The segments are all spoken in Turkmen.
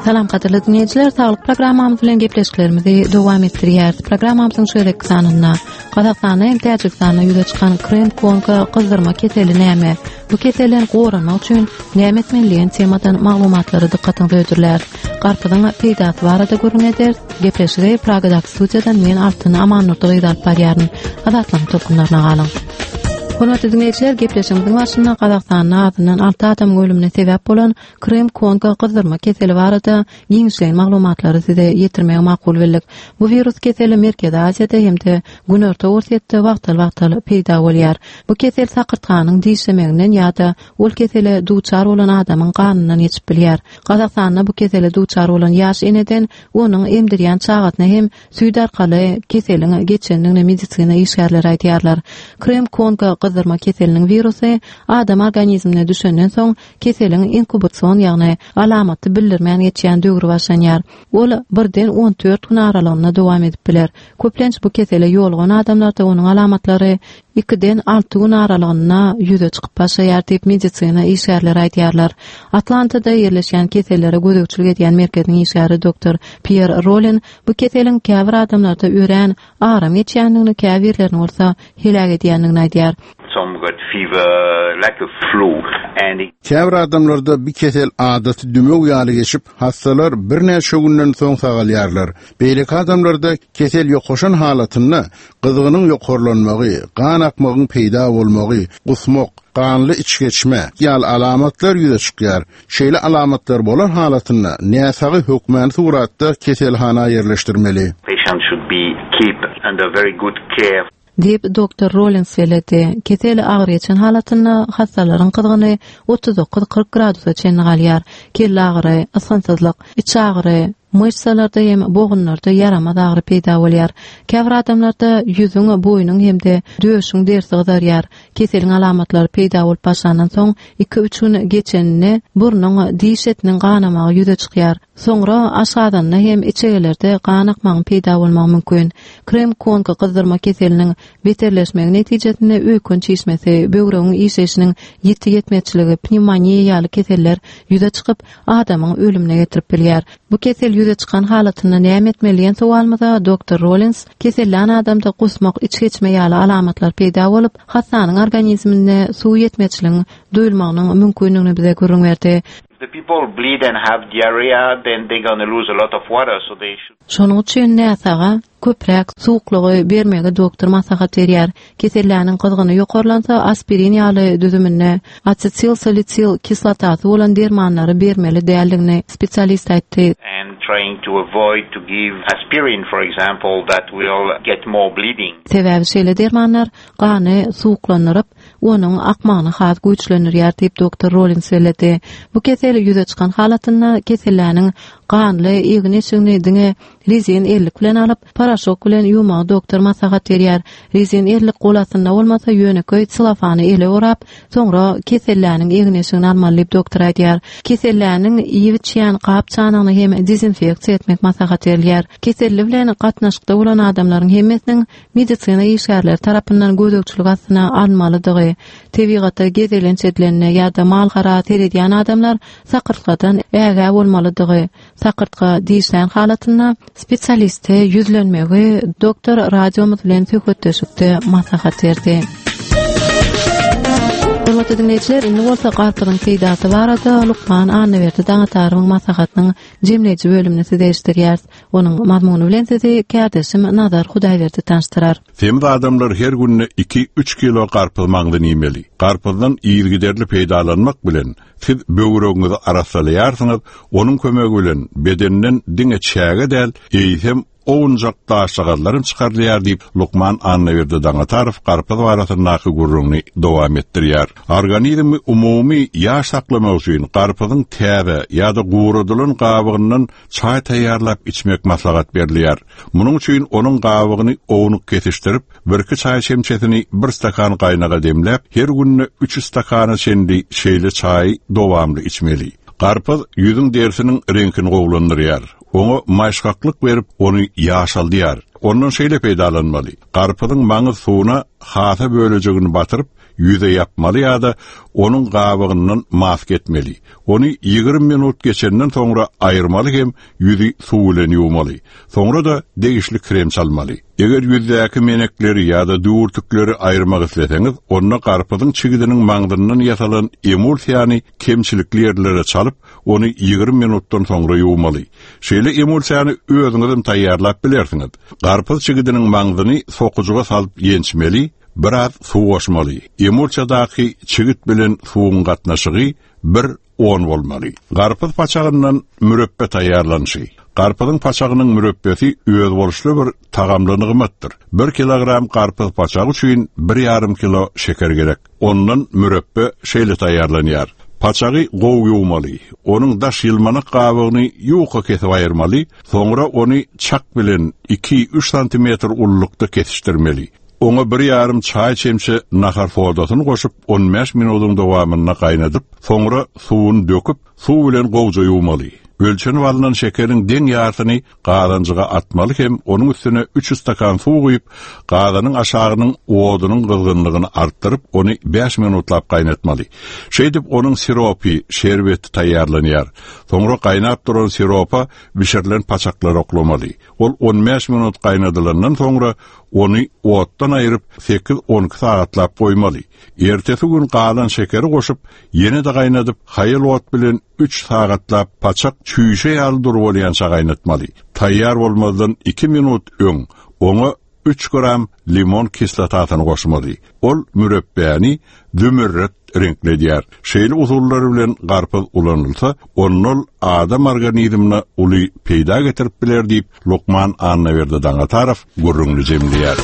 Salam gadyrly dinleýjiler, saglyk programmamyz bilen gepleşiklerimizi dowam etdirýäris. Programmamyzyň şu gezekki sanynda Gazagystanda hem Täjigistanda ýüze çykan krem konka gyzdyrma keseli näme? Bu keselden goranmak üçin näme etmeli diýen temadan maglumatlary dykgatyňyza hödürläris. Garpyzyň peýdasy barada gürrüň ederis. Gepleşigi Pragadaky studiýadan men Altyn Amannurdy gyzy alyp barýaryn. Azatlygyň tolkunlaryna galyň. Hormatly diňleýjiler, gepleşigimiziň başynda Gazagystanda azyndan 6 adamyň ölümine sebäp bolan Krym-Kongo gyzdyrma keseli barada giňişleýin maglumatlary size ýetirmegi makul bildik. Bu wirus keseli Merkezi Aziýada hem-de Günorta Orsýetde wagtal-wagtal peýda bolýar. Bu kesel sakyrtganyň dişlemeginden ýa-da ol kesele duçar bolan adamyň ganyndan geçip bilýär. Gazagystanda bu kesele duçar bolan ýaş eneden onuň emdirýän çagasyna hem süýt arkaly keseliň geçendigini medisina işgärleri aýdýarlar. Krym-Kongo gyzdyrma keseliniň wirusy adam organizmine düşenden soň keseliň inkubasion ýagny alamaty bildirmän geçýän döwri başlanýar. Ol birden 14 gün aralygynda dowam edip biler. Köplenç bu kesele ýolugan adamlarda onuň alamatlary ikiden alty gün aralygynda ýüze çykyp başlaýar diýip medisina işgärleri aýdýarlar. Atlantada ýerleşýän kesellere gözegçilik edýän merkeziň işgäri doktor Pýer Rolen bu keseliň käbir adamlarda örän aram geçýändigini, käbirlerini bolsa heläk edýändigini aýdýar. Some got fever like a flu and it. Käbir adamlarda bi kesel adaty dümew ýaly geçip, hassalar birnäçe günden soň sagalýarlar. Beýleki adamlarda kesel ýokaşan halatynda gyzgynyň ýokarlanmagy, gan akmagyň peýda bolmagy, gusmak, ganly içgeçme ýaly alamatlar ýüze çykýar. Şeýle alamatlar bolan halatynda näsagy hökmany suratda keselhana ýerleşdirmeli. Patient should be keep under very good care. Diýip, doktor Rollins belledi. Kesel agyr geçen halatynda hassalaryň gyzgyny 39-40 gradusa çenli galýar. Kelle agyry, ysgynsyzlyk, iç agyry, myşsalarda hem bogunlarda ýaramaz agyry peýda bolýar. Käbir adamlarda ýüzüň, boýnuň hem-de döşüň derisi gyzarýar. Keseliň alamatlary peýda bolup başlandan soň iki-üç gün geçeninde burnuň, diş etiniň ganamagy ýüze çykýar. Soňra aşgazanda hem içegelerde gan akmagyň peýda bolmagy mümkin. Krem-konka gyzdyrma keseliniň beterleşmegi netijesinde öýken çişmesi, böwregiň işleýşiniň ýiti ýetmezçiligi, pnewmoniýa ýaly keseller ýüze çykyp, adamyň ölümine getirip bilýär. Bu kesel ýüze çykan halatynda näme etmeli diýen sowalymyza doktor Rollins, Kesellän adamda gusmak, içgeçme ýaly alamatlar peýda bolup, hassanyň organizminde suw ýetmezçiligiň duýulmagynyň mümkindigini bize gürrüň berdi. If the people bleed and have diarrhea then they gonna lose a lot of water so they should. Şonuň üçin näsaga köpräk suwuklygy bermegi doktor maslahat berýär. Keselläniň gyzgyny ýokarlansa aspirin ýaly düzüminde asetilsalisil kislotasy bolan dermanlary bermeli däldigini spesialist aýtdy. And trying to avoid to give aspirin for example that will get more bleeding. Sebäbi şeýle dermanlar gany suwuklandyryp, onuň akmagyny has güýçlendirýär diýip, doktor Rollins belledi. Bu kesel ýüze çykan halatynda keselläniň ganly egin-eşigini diňe rezin ellik bilen alyp, poroşok bilen ýuwmagy doktor maslahat berýär. Rezin ellik gol astynda bolmasa, ýönekeý selofany ele orap, soňra keselläniň egin-eşigini almaly diýip, doktor aýdýar. Keselläniň iýip-içýän gap-çanagyny hem dezinfeksiýa etmek maslahat berilýär. Keselli bilen gatnaşykda bolan adamlaryň hemmesiniň medisina işgärleri tarapyndan gözegçilik astyna alynmalydygy, tebigata gezelenç edilende ýa-da mal-gara seredýän adamlar sakyrtgadan ägä bolmalydygy, sakyrtga dişlän halatynda spesialiste ýüzlenmegi doktor radiomyz bilen söhbetdeşlikde maslahat berdi. Hormatly diňleýjiler, indi bolsa garpyzyň peýdasy barada lukman Annaberdi Daňatarowyň maslahatynyň jemleýji bölümini size eşitdirýäris. Onuň mazmuny bilen sizi kärdeşim Nazar Hudaýberdi tanyşdyrar. Semiz adamlar her günde iki-üç kilo garpyz maňzyny iýmeli. Garpyzdan yzygiderli peýdalanmak bilen, siz böwregiňizi arassalaýarsyňyz, onuň kömegi bilen bedenden diňe çäge däl, eýsem, owunjak daşjagazlar hem çykarylýar diýip, lukman Annaberdi Daňatarow garpyz barasyndaky gürrüňini dowam etdirýär. Organizmi umumy ýaş saklamak üçin garpyzyň täze ýa-da guradylan gabygyndan çaý taýýarlap içmek maslahat berilýär. Munuň üçin onuň gabygyny ownuk kesişdirip, birki çaý çemçesini bir stakan gaýnaga demläp, her günde üç stakana çenli şeýle çaýy dowamly içmeli. Garpyz ýüzüň derisiniň reňkini gowulandyrýar. Oňa maýyşgaklyk berip, ony ýaşaldýar. Ondan şeýle peýdalanmaly, garpyzyň maňyz suwuna hasa bölejigini batyryp, ýüze ýapmaly ýa-da onuň gabygyndan maska etmeli. Ony 20 minut geçenden soňra aýyrmaly hem ýüzi suw bilen ýuwmaly. Soňra-da degişli krem çalmaly. Eger ýüzdäki menekleri ýa-da düwürtikleri aýyrmak isleseňiz, onda garpyzyň çigidiniň maňzyndan ýasalan emulsiýany kemçilikli ýerlere çalyp, ony 20 minutdan soňra ýuwmaly. Şeýle emulsiýany özüňizem taýýarlap bilersiňiz. Garpyz çigidiniň maňzyny sokujyga salyp ýençmeli, biraz suw goşmaly. Emulsiýadaky çigit bilen suwuň gatnaşygy bir, on bolmaly. Garpyz paçagyndan mürepbe taýýarlanyşy. Garpyzyň paçagynyň mürepbesi özboluşly bir tagamly nygmatdyr. Bir kilogram garpyz paçagy üçin bir ýarym kilo şeker gerek. Ondan mürepbe şeýle taýýarlanýar. Paçagy gowy ýuwmaly. Onuň daş ýylmanak gabygyny ýuka kesip aýyrmaly, soňra ony çak bilen iki-üç santimetr ululykda kesişdirmeli. Oňa bir ýarym çaý çemçe nahar sodasyny goşup, on bäş minudyň dowamynda gaýnadyp, soňra suwuny döküp, suw bilen gowja ýuwmaly. Ölçenip alnan şekeriň deň ýarsyny gazanjyga atmaly hem onuň üstüne üç stakan suw guýup, gazanyň aşagynyň odunyň gyzgynlygyny artdyryp, ony bäş minutlap gaýnatmaly. Şeýdip, onuň siropy, şerbeti taýýarlanýar. Soňra gaýnap duran siropa bişirilen paçaklary oklamaly. Ol on bäş minut gaýnadylandan soňra, ony otdan aýryp, sekiz-on iki sagatlap goýmaly. Ertesi gün galan şekeri goşup, ýene-de gaýnadyp, haýal ot bilen üç sagatlap paçak çüýşe ýaly dury bolýança gaýnatmaly. Taýýar bolmazdan iki minut öň oňa üç gram limon kislotasyny goşmaly. Ol mürepbäni zümerret reňkledýär. Şeýle usullar bilen garpyz ulanylsa, onda ol adam organizmine uly peýda getirip biler diýip, lukman Annaberdi Daňatarow gürrüňini jemleýär.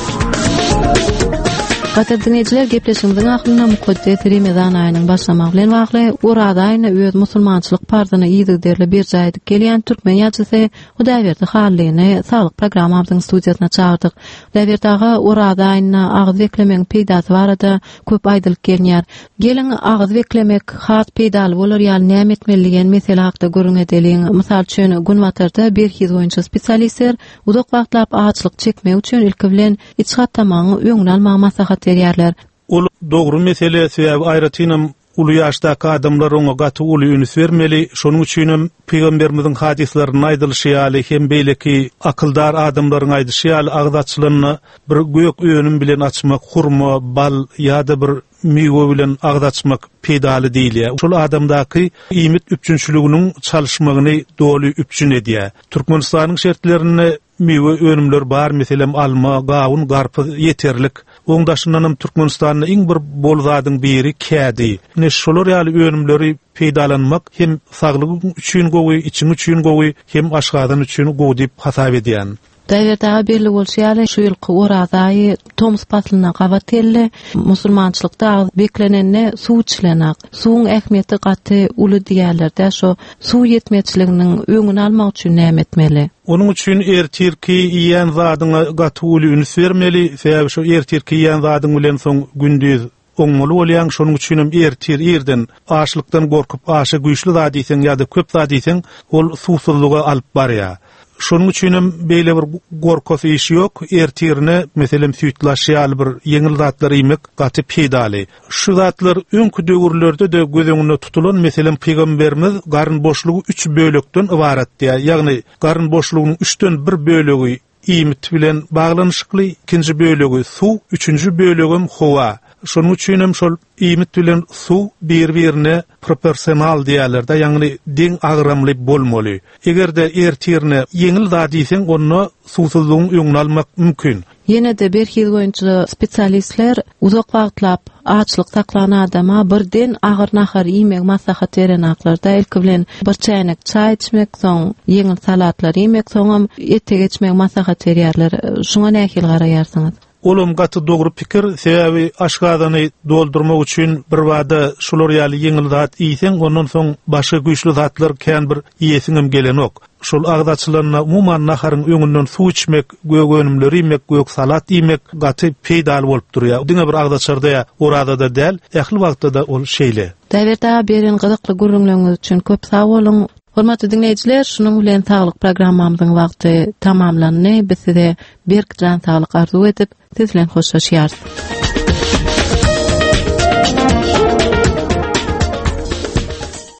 Gadyrly diňleýjiler, gepleşigimiziň ahyrynda mukaddes Remezan aýynyň başlamagy bilen bagly Oraza aýynda öz musulmançylyk parzyny yzygiderli berjaý edip gelýän türkmen ýazyjysy Hudaýberdi Hallyny Saglyk programmamyzyň studiýasyna çagyrdyk. Hudaýberdi aga, Oraza aýynda agyz beklemegiň peýdasy barada köp aýdylyp gelinýär. Geliň, agyz beklemek has peýdaly bolar ýaly näme etmeli diýen mesele hakda gürrüň edeliň. Mysal üçin, Günbatarda berhiz boýunça spesialistler uzak wagtlap açlyk çekmek üçin ilki bilen iç gatamagyň öňüni almagy maslahat berýärler. Ol dogry mesele, sebäbi aýratynam uly ýaşdaky adamlar oňa gaty uly üns bermeli. Şonuň üçinem pygamberimiziň hadyslarynda aýdylyşy ýaly hem beýleki akyldar adamlaryň aýdyşy ýaly agyz açylanda bir gök önüm bilen açmak, hurma, bal ýa-da bir miwe bilen agyz açmak peýdaly diýilýär. Şol adamdaky iýmit üpjünçiliginiň çalyşmagyny doly üpjün edýär. Türkmenistanyň şertlerinde Miwe önümler bar meselem alma, gawun, garpyz ýeterlik. Oň daşyndanam Türkmenistanda iň bir bol zadyň biri kädi. Ine şolar ýaly önümleri peýdalanmak hem saglygyň üçin gowy, içiň üçin gowy, hem aşgazan üçin gowy diýip hasap edýän. Hudaýberdi aga belli bolşy ýaly şu ýylky Oraza aýy tomus paslyna gabat geldi. Musulmançylykda agyz beklenende suw içilenak. Suwuň ähmiýeti gaty uly diýýärler-dä şo suw ýetmezçiliginiň öňüni almak üçin näme etmeli? Onuň üçin ertirki iýen zadyňa gaty uly üns bermeli, sebäbi şo ertirki iýen zadyň bilen soň gündiz oňmaly bolýaň, şonuň üçinem ertir irden açlykdan gorkup aşa güýçli zat iýseň ýa-da köp zat iýseň, ol suwsuzlyga alyp barýar. Şonuň üçinem beýle bir gorkasy iş ýok, ertirine meselem süýtlaş ýaly bir ýeňil zatlar iýmek gaty peýdaly. Şu zatlar öňki döwürlerde-de göz öňünde tutulan, meselem, pygamberimiz garyn boşlugy üç bölekden ybarat diýýär. Ýagny, garyn boşlugynyň üçden bir bölegi iýmit bilen baglanyşykly, ikinji bölegi suw, üçünji bölegem howa. Şonuň üçinem şol iýmit bilen suw bir-birine proporsional diýýärler-de, ýagny deň agramly bolmaly. Eger-de ertirine ýeňil zat iýseň, onda suwsuzlygyň öňüni almak mümkin. Ýene-de berhiz boýunça spesialistler uzak wagtlap açlyk saklan adama birden agyr nahar iýmegi maslahat berenaklar-da, ilki bilen bir çäýnek çaý içmek, soň ýeňil salatlar iýmek, soňam ete geçmegi maslahat berýärler. Şuňa nähili garaýarsyňyz? Olam gaty dogry pikir, sebäbi aşgazany doldurmak üçin birbada şular ýaly ýeňil zat iýseň, ondan soň başga güýçli zatlar kän bir iýesiňem gelenok. Şol agyz açylanda umuman naharyň öňünden suw içmek, gök önümleri iýmek, gök salat iýmek gaty peýdaly bolup durýar. Diňe bir agzaçarda ýa orazada däl, ähli wagtda-da ol şeýle. Hudaýberdi aga beren gyzykly gürrüňleriňiz üçin köp sag boluň. Hormatly diňleýjiler, şunuň bilen saglyk programmamyzyň wagty tamamlandy. Biz size berk jan saglyk arzuw edip, siz bilen hoşlaşýarys.